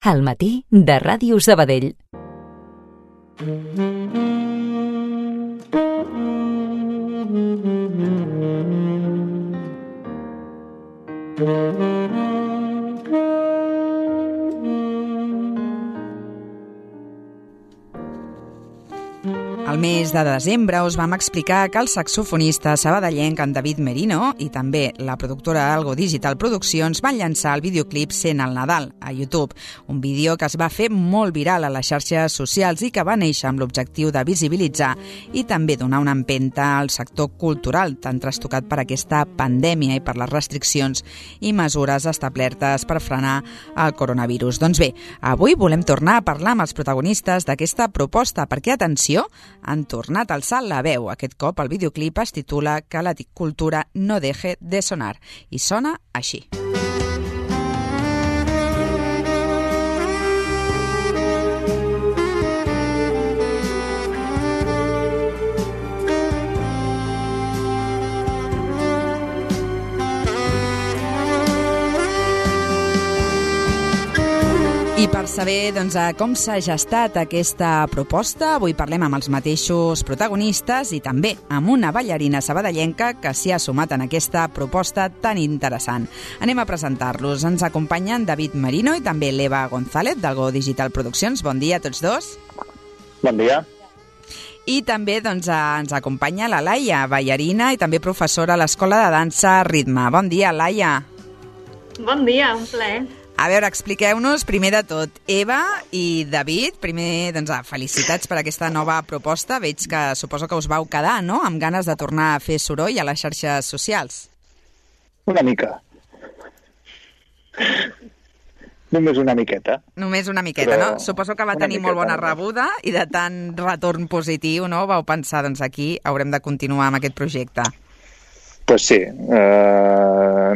Al matí de Ràdio Sabadell. Al mes de desembre us vam explicar que el saxofonista sabadellenc en David Merino i també la productora Algo Digital Produccions van llançar el videoclip Sent el Nadal a YouTube, un vídeo que es va fer molt viral a les xarxes socials i que va néixer amb l'objectiu de visibilitzar i també donar una empenta al sector cultural tan trastocat per aquesta pandèmia i per les restriccions i mesures establertes per frenar el coronavirus. Doncs bé, avui volem tornar a parlar amb els protagonistes d'aquesta proposta perquè, atenció, han tornat a alçar la veu. Aquest cop el videoclip es titula Que la cultura no deje de sonar i sona així. I per saber com s'ha gestat aquesta proposta, avui parlem amb els mateixos protagonistes i també amb una ballarina sabadellenca que s'hi ha sumat en aquesta proposta tan interessant. Anem a presentar-los. Ens acompanyen David Merino i també l'Eva González d'Algo Digital Produccions. Bon dia a tots dos. Bon dia. I també ens acompanya la Laia, ballarina i també professora a l'Escola de Dansa Ritme. Bon dia, Laia. Bon dia, un plaer. A veure, expliqueu-nos, primer de tot, Eva i David, primer, felicitats per aquesta nova proposta. Veig que suposo que us vau quedar, no?, amb ganes de tornar a fer soroll a les xarxes socials. Una mica. Només una miqueta. Només una miqueta, però... no? Suposo que va tenir molt bona rebuda i de tant retorn positiu, no?, vau pensar, aquí haurem de continuar amb aquest projecte. Pues sí,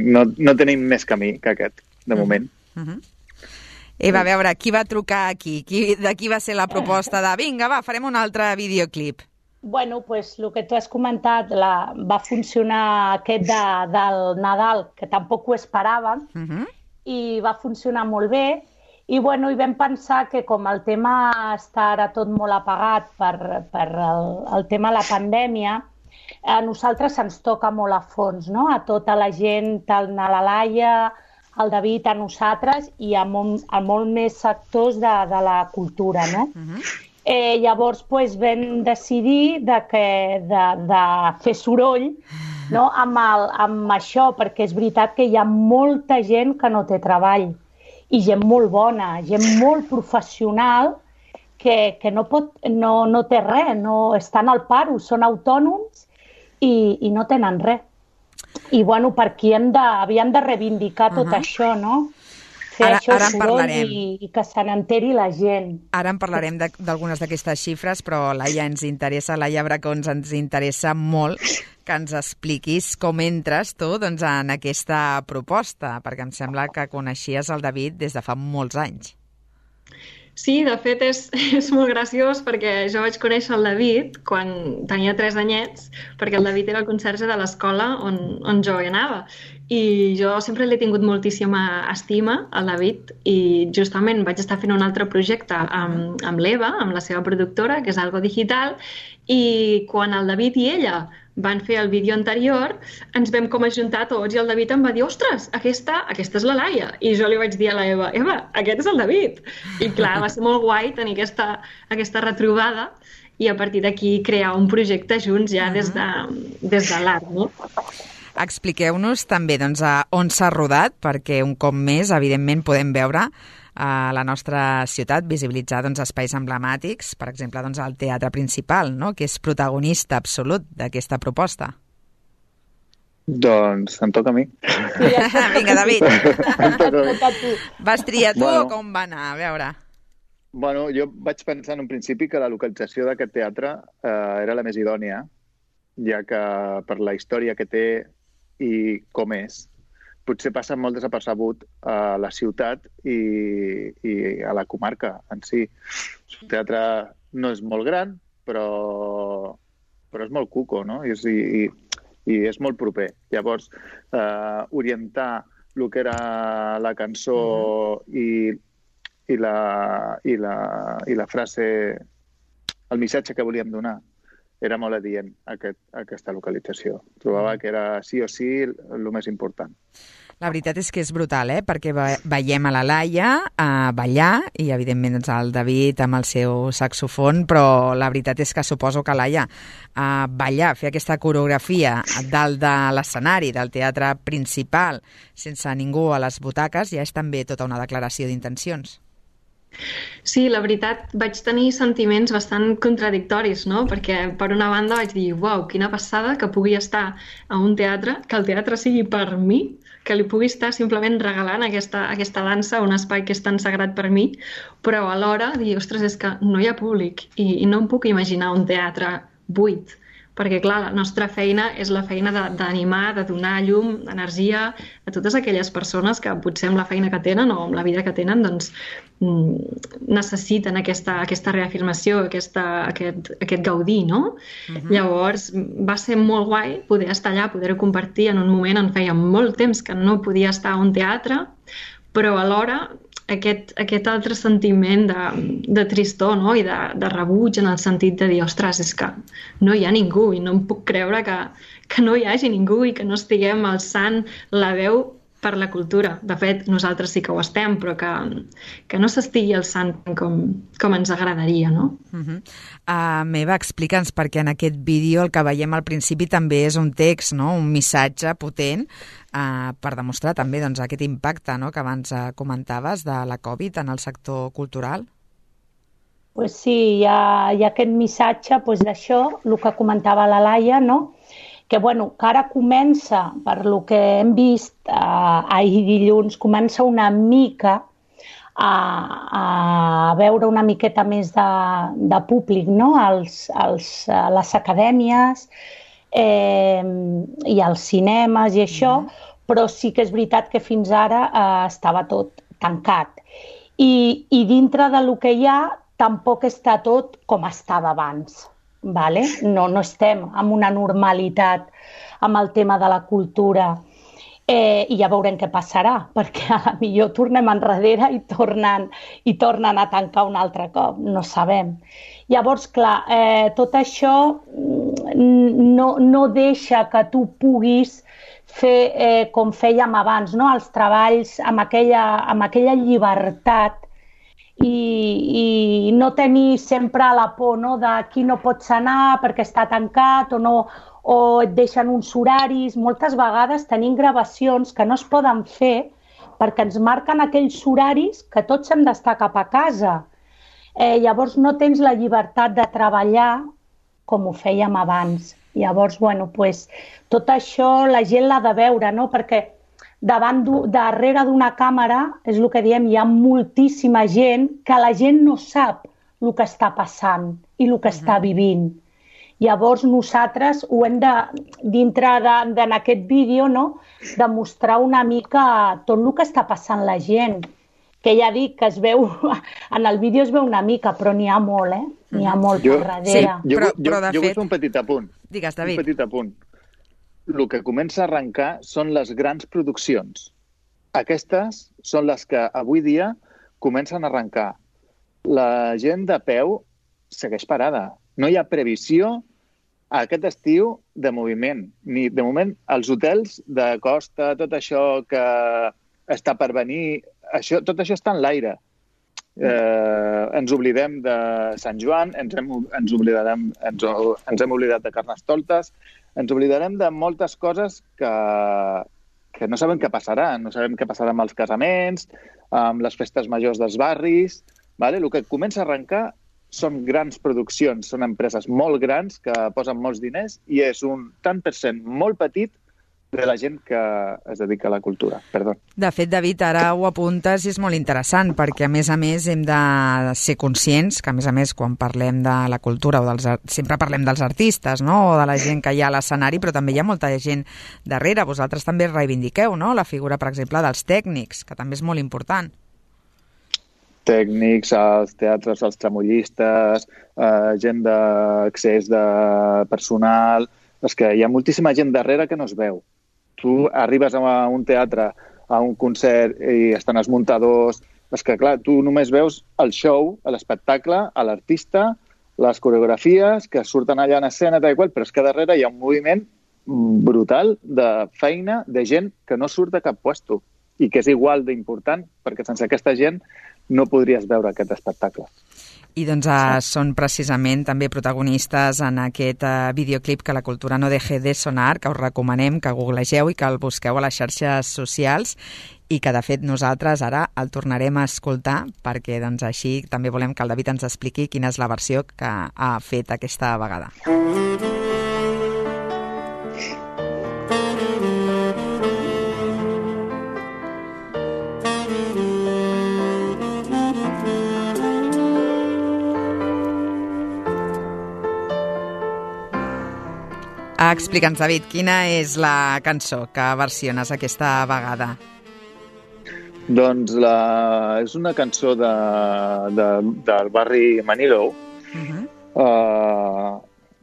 no tenim més camí que aquest, de moment. Eva, a veure, qui va trucar aquí? De qui va ser la proposta de vinga, va, farem un altre videoclip? Bueno, pues el que tu has comentat, va funcionar aquest del Nadal, que tampoc ho esperàvem, i va funcionar molt bé. I bueno, hi vam pensar que com el tema està ara tot molt apagat per el tema de la pandèmia, a nosaltres ens toca molt a fons, no? A tota la gent, tant a la Laia, al David, a nosaltres i a molt més sectors de la cultura, no? Llavors vam decidir de fer soroll, no? amb això, perquè és veritat que hi ha molta gent que no té treball i gent molt bona, gent molt professional que no té res, no estan al paro, són autònoms i no tenen res. I bueno, per aquí havíem de reivindicar tot això, no? Fer això soroll i que se n'enteri la gent. Ara en parlarem d'algunes d'aquestes xifres, però Laia Laia Bracons, ens interessa molt que ens expliquis com entres tu en aquesta proposta, perquè em sembla que coneixies el David des de fa molts anys. Sí, de fet és molt graciós perquè jo vaig conèixer el David quan tenia 3 anyets, perquè el David era el conserge de l'escola on jo hi anava. I jo sempre l'he tingut moltíssima estima, al David, i justament vaig estar fent un altre projecte amb l'Eva, amb la seva productora, que és Algo Digital, i quan el David i ella van fer el vídeo anterior, ens vam ajuntar tots i el David em va dir ostres, aquesta és la Laia. I jo li vaig dir a la Eva, aquest és el David. I clar, va ser molt guai tenir aquesta retrobada i a partir d'aquí crear un projecte junts ja des de l'art, no? Expliqueu-nos també on s'ha rodat, perquè un cop més, evidentment, podem veure a la nostra ciutat, visibilitzar espais emblemàtics, per exemple, el teatre principal, no?, que és protagonista absolut d'aquesta proposta. Doncs em toca a mi. Vinga, David. Vas triar tu o com va anar? A veure. Bueno, jo vaig pensar en un principi que la localització d'aquest teatre era la més idònia, ja que per la història que té i com és, potser passa molt desapercebut a la ciutat i a la comarca en si. El teatre no és molt gran, però és molt cuco, no? I és molt proper. Llavors, orientar el que era la cançó i i la frase, el missatge que volíem donar era molt adient a aquesta localització. Trobava que era sí o sí el més important. La veritat és que és brutal, perquè veiem a la Laia ballar i, evidentment, el David amb el seu saxofon, però la veritat és que suposo que, Laia, ballar, fer aquesta coreografia dalt de l'escenari, del teatre principal, sense ningú a les butaques, ja és també tota una declaració d'intencions. Sí, la veritat, vaig tenir sentiments bastant contradictoris, no? Perquè, per una banda, vaig dir, uau, quina passada que pugui estar a un teatre, que el teatre sigui per mi, que li pugui estar simplement regalant aquesta dansa, un espai que és tan sagrat per mi, però alhora dir, ostres, és que no hi ha públic i no em puc imaginar un teatre buit, perquè, clar, la nostra feina és la feina d'animar, de donar llum, energia a totes aquelles persones que potser amb la feina que tenen o amb la vida que tenen doncs, necessiten aquesta reafirmació, aquest gaudir, no? Llavors, va ser molt guai poder estar allà, poder-ho compartir en un moment en feia molt temps que no podia estar a un teatre, però alhora aquest altre sentiment de tristor, no? I de rebuig en el sentit de dir, ostres, és que no hi ha ningú i no em puc creure que no hi hagi ningú i que no estiguem alçant la veu per la cultura. De fet, nosaltres sí que ho estem, però que no s'estigui alçant com ens agradaria, no? Meva, explica'ns, perquè en aquest vídeo el que veiem al principi també és un text, no? Un missatge potent per demostrar també doncs, aquest impacte, no? Que abans comentaves de la Covid en el sector cultural. Pues sí, hi ha aquest missatge d'això, el que comentava la Laia, no? Que ara comença, per lo que hem vist ahir dilluns, comença una mica a veure una miqueta més de públic, no? Les acadèmies i els cinemes i això, però sí que és veritat que fins ara estava tot tancat. I dintre de lo que hi ha tampoc està tot com estava abans. Vale? No estem en una normalitat amb el tema de la cultura i ja veurem què passarà, perquè a la millor tornem enrere i tornen a tancar un altre cop, no sabem. Llavors, clar, tot això no deixa que tu puguis fer com fèiem abans, no? Els treballs amb aquella llibertat i no tenir sempre la por, no? De qui no pots anar perquè està tancat o et deixen uns horaris. Moltes vegades tenim gravacions que no es poden fer perquè ens marquen aquells horaris que tots hem d'estar cap a casa. Llavors no tens la llibertat de treballar com ho fèiem abans. Llavors, tot això la gent l'ha de veure, no? Perquè darrere d'una càmera, és el que diem, hi ha moltíssima gent que la gent no sap el que està passant i el que està vivint. Llavors nosaltres ho hem dintre d'aquest vídeo, no? De mostrar una mica tot el que està passant la gent. Que ja dic que es veu, en el vídeo es veu una mica, però n'hi ha molt, N'hi ha molt per darrere. Jo vull fer un petit apunt. Digues, David. Un petit apunt. El que comença a arrencar són les grans produccions. Aquestes són les que avui dia comencen a arrencar. La gent de peu segueix parada. No hi ha previsió aquest estiu de moviment. Ni de moment els hotels de costa, tot això que està per venir, tot això està en l'aire. Ens oblidem de Sant Joan, ens hem oblidat de Carnestoltes, ens oblidarem de moltes coses que no sabem què passarà. No sabem què passarà amb els casaments, amb les festes majors dels barris. Vale? El que comença a arrencar són grans produccions, són empreses molt grans que posen molts diners i és un tant per cent molt petit de la gent que es dedica a la cultura. Perdó. De fet, David, ara ho apuntes i és molt interessant perquè, a més, hem de ser conscients que, a més, quan parlem de la cultura sempre parlem dels artistes, no? O de la gent que hi ha a l'escenari, però també hi ha molta gent darrere. Vosaltres també reivindiqueu, no? La figura, per exemple, dels tècnics, que també és molt important. Tècnics, els teatres, els tramollistes, gent d'accés de personal. És que hi ha moltíssima gent darrere que no es veu. Tu arribes a un teatre, a un concert, i estan els muntadors, és que, clar, tu només veus el show, l'espectacle, l'artista, les coreografies que surten allà en escena, tal i qual, però és que darrere hi ha un moviment brutal de feina de gent que no surt de cap puesto i que és igual d'important, perquè sense aquesta gent no podries veure aquest espectacle. I doncs són precisament també protagonistes en aquest videoclip Que la cultura no deje de sonar, que us recomanem que googlegeu i que el busqueu a les xarxes socials i que, de fet, nosaltres ara el tornarem a escoltar perquè doncs, així també volem que el David ens expliqui quina és la versió que ha fet aquesta vegada. Explica'ns, David, quina és la cançó que versiones aquesta vegada? Doncs és una cançó del barri Manilow.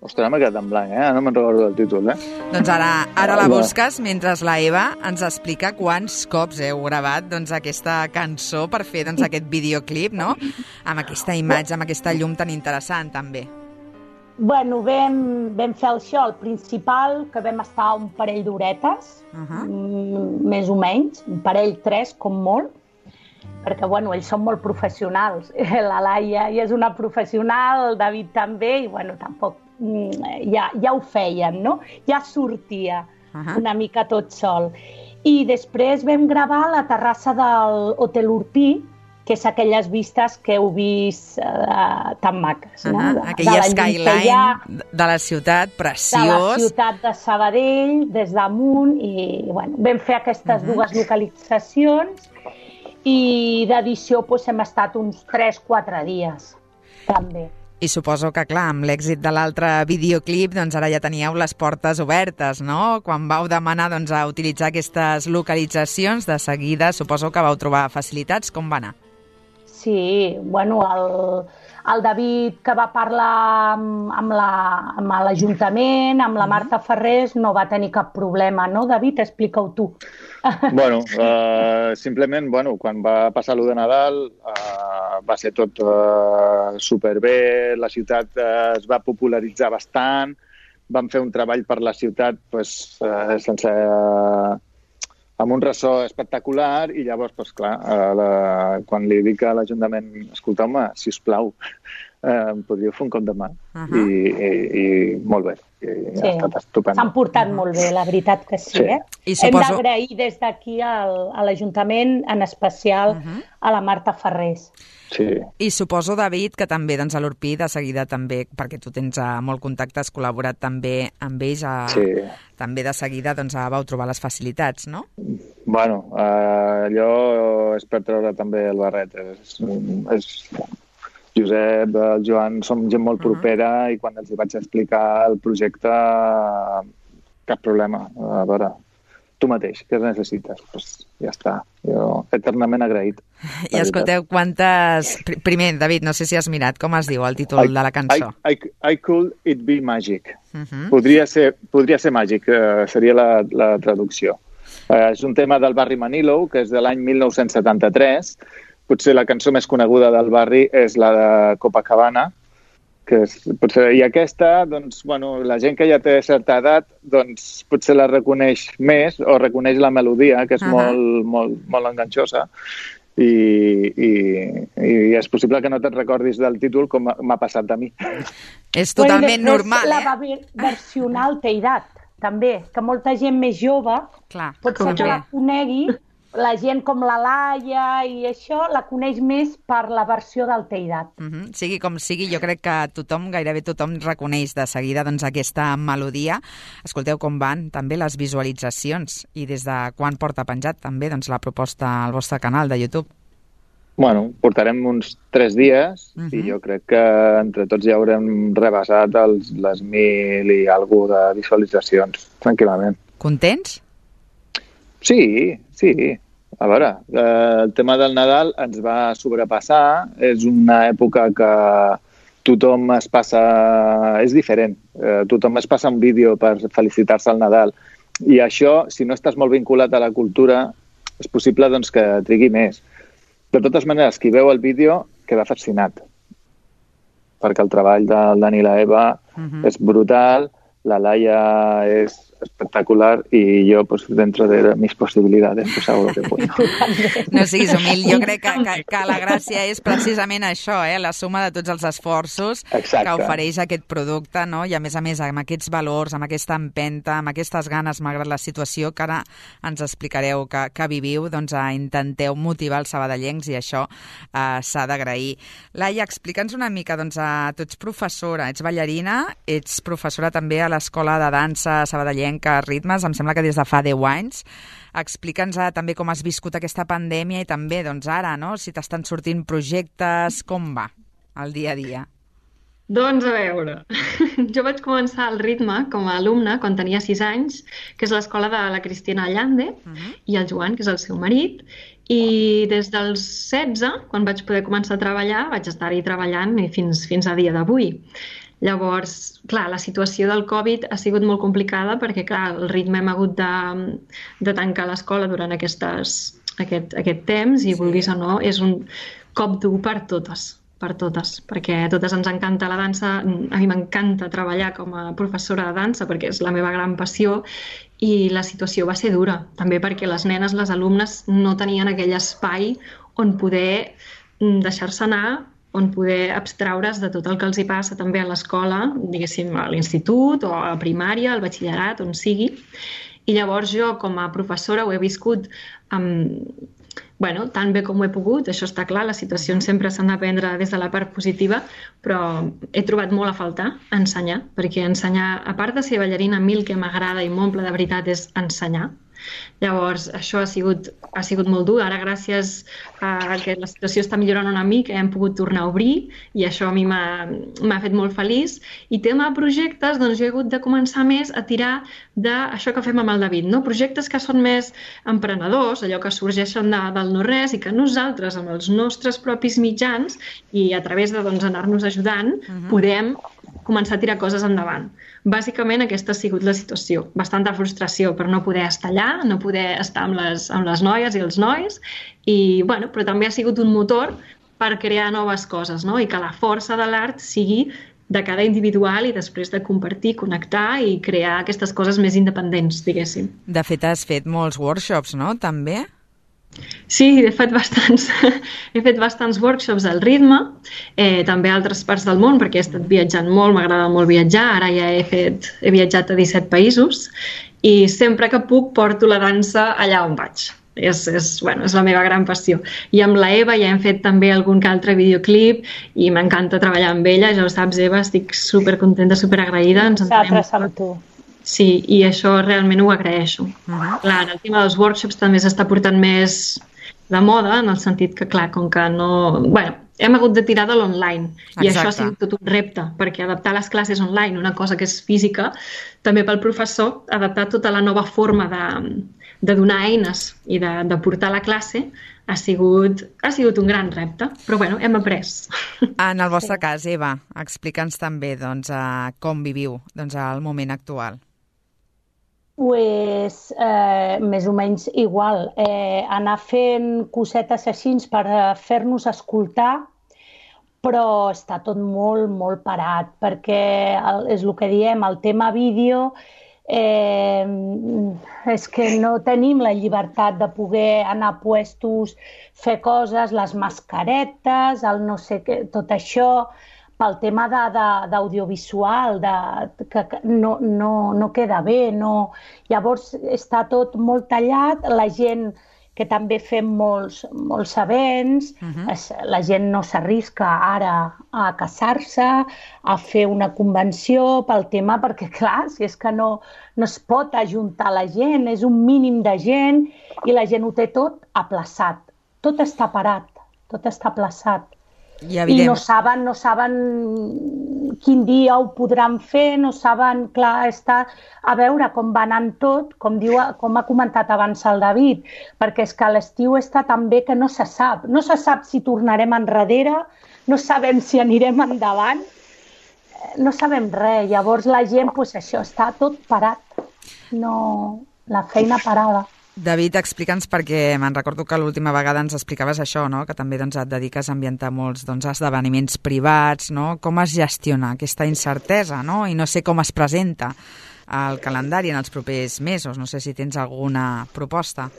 Ostres, m'ha quedat en blanc, no me'n recordo del títol, Doncs ara la busques mentre la Eva ens explica quants cops heu gravat aquesta cançó per fer aquest videoclip, no? Amb aquesta imatge, amb aquesta llum tan interessant, també. Bueno, vam fer això, el principal, que vam estar un parell d'horetes, més o menys, un parell, 3, com molt, perquè, bueno, ells són molt professionals. La Laia ja és una professional, el David també, i, bueno, tampoc ja ho feien, no? Ja sortia una mica tot sol. I després vam gravar a la terrassa del Hotel Urpí, que és aquelles vistes que heu vist tan maques. Aquella skyline de la ciutat, preciós. De la ciutat de Sabadell, des damunt, i bueno, vam fer aquestes dues localitzacions i d'edició hem estat uns 3-4 dies, també. I suposo que, clar, amb l'èxit de l'altre videoclip, doncs ara ja teníeu les portes obertes, no? Quan vau demanar a utilitzar aquestes localitzacions, de seguida suposo que vau trobar facilitats. Com va anar? Sí, bueno, el David, que va parlar amb l'Ajuntament, amb la Marta Ferrés, no va tenir cap problema, no, David? Explica-ho tu. Bueno, simplement, quan va passar l'1 de Nadal va ser tot superbé, la ciutat es va popularitzar bastant, vam fer un treball per la ciutat amb un ressò espectacular i llavors, clar, quan li dic a l'Ajuntament, escolteu-me, sisplau, em podríeu fer un cop de mà? I molt bé. Sí, s'han portat molt bé, la veritat que sí. Hem d'agrair des d'aquí a l'Ajuntament, en especial a la Marta Ferrés. Sí. I suposo, David, que també a l'Urpí de seguida també, perquè tu tens molt contacte, has col·laborat també amb ells, també de seguida vau trobar les facilitats, no? Bueno, allò és per treure també el barret. Josep, el Joan, som gent molt propera i quan els vaig explicar el projecte, cap problema. A veure, tu mateix, què necessites? Doncs ja està, jo eternament agraït. I escolteu, quantes... Primer, David, no sé si has mirat com es diu el títol de la cançó. I Could It Be Magic. Podria ser màgic, seria la traducció. És un tema del barri Manilow, que és de l'any 1973. Potser la cançó més coneguda del barri és la de Copacabana, i aquesta, la gent que ja té certa edat, potser la reconeix més o reconeix la melodia, que és molt enganxosa, i és possible que no te'n recordis del títol com m'ha passat a mi. És totalment normal, La va versionar al Teirat, també, que molta gent més jove pot ser que la conegui. La gent com la Laia i això la coneix més per la versió del Teirat. Sigui com sigui, jo crec que gairebé tothom reconeix de seguida aquesta melodia. Escolteu com van també les visualitzacions i des de quan porta penjat també la proposta al vostre canal de YouTube. Bueno, portarem uns 3 dies i jo crec que entre tots ja haurem rebassat les 1.000 i alguna de visualitzacions, tranquil·lament. Contents? Sí. A veure, el tema del Nadal ens va sobrepassar. És una època que tothom es passa... És diferent. Tothom es passa un vídeo per felicitar-se al Nadal. I això, si no estàs molt vinculat a la cultura, és possible que trigui més. De totes maneres, qui veu el vídeo queda fascinat, perquè el treball del Dani i la Eva és brutal, la Laia és espectacular y yo, pues, dentro de mis posibilidades, pues hago lo que puedo. No siguis humil. Jo crec que la gràcia és precisament això, la suma de tots els esforços que ofereix aquest producte, no? I a més, amb aquests valors, amb aquesta empenta, amb aquestes ganes, malgrat la situació que ara ens explicareu que viviu, doncs intenteu motivar els sabadellencs i això s'ha d'agrair. Laia, explica'ns una mica, doncs, tu ets professora, ets ballarina, ets professora també a l'Escola de Dansa Sabadellenc a Ritmes, em sembla que des de fa 10 anys. Explica'ns també com has viscut aquesta pandèmia i també, doncs ara, no? Si t'estan sortint projectes, com va el dia a dia? Doncs a veure, jo vaig començar al Ritme com a alumna quan tenia 6 anys, que és l'escola de la Cristina Allande i el Joan, que és el seu marit, i des dels 16, quan vaig poder començar a treballar, vaig estar-hi treballant fins a dia d'avui. Llavors, clar, la situació del Covid ha sigut molt complicada perquè, clar, el Ritme hem hagut de tancar l'escola durant aquest temps i, vulguis o no, és un cop dur per totes, perquè a totes ens encanta la dansa. A mi m'encanta treballar com a professora de dansa perquè és la meva gran passió i la situació va ser dura, també perquè les nenes, les alumnes, no tenien aquell espai on poder deixar-se anar, on poder abstraure's de tot el que els hi passa també a l'escola, diguéssim, a l'institut o a primària, al batxillerat, on sigui. I llavors jo, com a professora, ho he viscut tan bé com ho he pogut. Això està clar, les situacions sempre s'han de prendre des de la part positiva, però he trobat molt a faltar ensenyar, perquè ensenyar, a part de ser ballarina, a mi el que m'agrada i m'omple de veritat és ensenyar. Llavors, això ha sigut molt dur. Ara, gràcies a que la situació està millorant una mica, hem pogut tornar a obrir i això a mi m'ha fet molt feliç. I tema de projectes, doncs jo he hagut de començar més a tirar d'això que fem amb el David, no? Projectes que són més emprenedors, allò que sorgeixen del no-res i que nosaltres, amb els nostres propis mitjans i a través de anar-nos ajudant, podem començar a tirar coses endavant. Bàsicament aquesta ha sigut la situació. Bastanta frustració per no poder estar allà, no poder estar amb les noies i els nois, però també ha sigut un motor per crear noves coses, no? I que la força de l'art sigui de cada individual i després de compartir, connectar i crear aquestes coses més independents, diguéssim. De fet, has fet molts workshops, no?, també? Sí, he fet bastants workshops al Ritme, també a altres parts del món, perquè he estat viatjant molt, m'agrada molt viatjar, ara ja he viatjat a 17 països i sempre que puc porto la dansa allà on vaig. És la meva gran passió. I amb la Eva ja hem fet també algun que altre videoclip i m'encanta treballar amb ella, ja ho saps, Eva, estic supercontenta, superagraïda. Nosaltres amb tu. Sí, i això realment ho agraeixo. Clar, el tema dels workshops també s'està portant més de moda, en el sentit que, clar, com que no... hem hagut de tirar de l'online. I això ha sigut tot un repte, perquè adaptar les classes online, una cosa que és física, també pel professor, adaptar tota la nova forma de donar eines i de portar la classe ha sigut un gran repte, però hem après. En el vostre cas, Eva, explica'ns també com viviu el moment actual. Pues, més o menys igual. Anar fent cosetes així per fer-nos escoltar, però està tot molt, molt parat, perquè és el que diem, el tema vídeo, és que no tenim la llibertat de poder anar a puestos, fer coses, les mascaretes, el no sé què, tot això, pel tema d'audiovisual, que no queda bé. Llavors està tot molt tallat, la gent que també fem molts events, la gent no s'arrisca ara a casar-se, a fer una convenció pel tema, perquè clar, si és que no es pot ajuntar la gent, és un mínim de gent i la gent ho té tot aplaçat. Tot està parat, tot està aplaçat. I no saben quin dia ho podran fer, no saben, clar, està a veure com va anant tot, com ha comentat abans el David, perquè és que l'estiu està tan bé que no se sap si tornarem enrere, no sabem si anirem endavant, no sabem res, llavors la gent, doncs això, està tot parat, la feina parada. David, explica'ns, perquè me'n recordo que l'última vegada ens explicaves això, no? Que també et dediques a ambientar molts esdeveniments privats, no? Com es gestiona aquesta incertesa, no? I no sé com es presenta el calendari en els propers mesos. No sé si tens alguna proposta.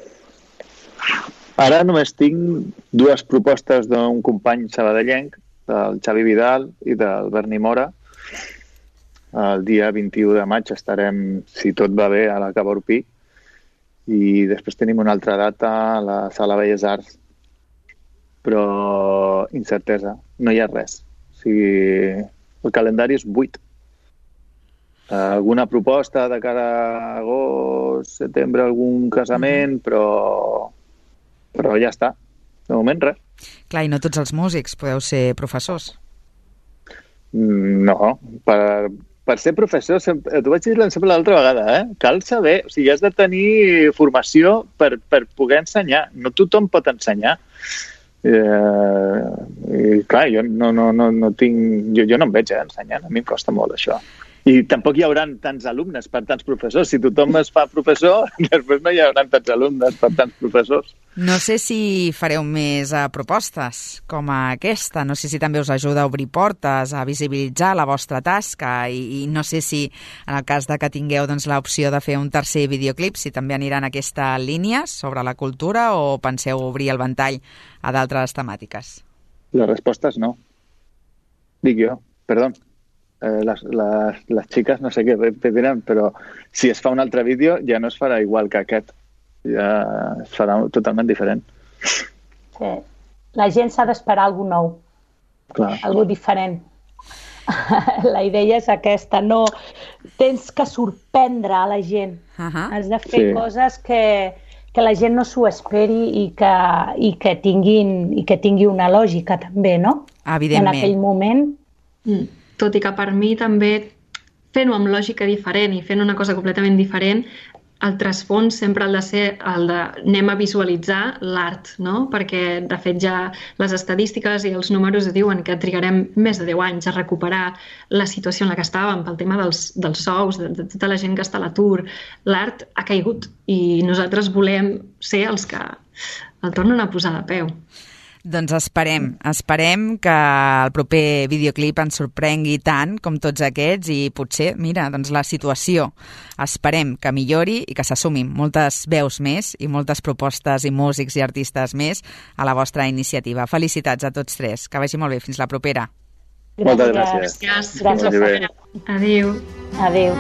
Ara només tinc 2 propostes d'un company sabadellenc, del Xavi Vidal i del Berni Mora. El dia 21 de maig estarem, si tot va bé, a la Cava Urpí. I després tenim una altra data a la Sala Belles Arts, però incertesa, no hi ha res. O sigui, el calendari és buit. Alguna proposta de cara a agost, setembre, algun casament, però ja està. De moment, res. Clar, i no tots els músics podeu ser professors. No, per ser professor, t'ho vaig dir sempre l'altra vegada, cal saber, o sigui, has de tenir formació per poder ensenyar. No tothom pot ensenyar. I clar, jo no tinc... Jo no em veig ensenyant, a mi em costa molt això. I tampoc hi haurà tants alumnes per tants professors. Si tothom es fa professor, després no hi haurà tants alumnes per tants professors. No sé si fareu més propostes com aquesta. No sé si també us ajuda a obrir portes, a visibilitzar la vostra tasca i no sé si en el cas de que tingueu l'opció de fer un tercer videoclip, si també anirà en aquesta línia sobre la cultura o penseu obrir el ventall a d'altres temàtiques. La resposta és no. Dic jo, perdó. Les xiques no sé què diran, però si es fa un altre vídeo ja no es farà igual que aquest. Ja es farà totalment diferent. Sí. La gent s'ha d'esperar alguna nou. Clar. Algo diferent. La idea és aquesta. No, tens que sorprendre a la gent. Has de fer coses que la gent no s'ho esperi i que tingui una lògica també, no? Evidentment. En aquell moment. Tot i que per mi també fent-ho amb lògica diferent i fent una cosa completament diferent, el trasfons sempre ha de ser el de anem a visualitzar l'art, no? Perquè, de fet, ja les estadístiques i els números diuen que trigarem més de 10 anys a recuperar la situació en la que estàvem pel tema dels sous, de tota la gent que està a l'atur. L'art ha caigut i nosaltres volem ser els que el tornen a posar de peu. Doncs esperem que el proper videoclip ens sorprengui tant com tots aquests i potser, mira, doncs la situació esperem que millori i que s'assumin moltes veus més i moltes propostes i músics i artistes més a la vostra iniciativa. Felicitats a tots 3. Que vagi molt bé. Fins la propera. Moltes gràcies. Fins la propera. Adéu. Adéu.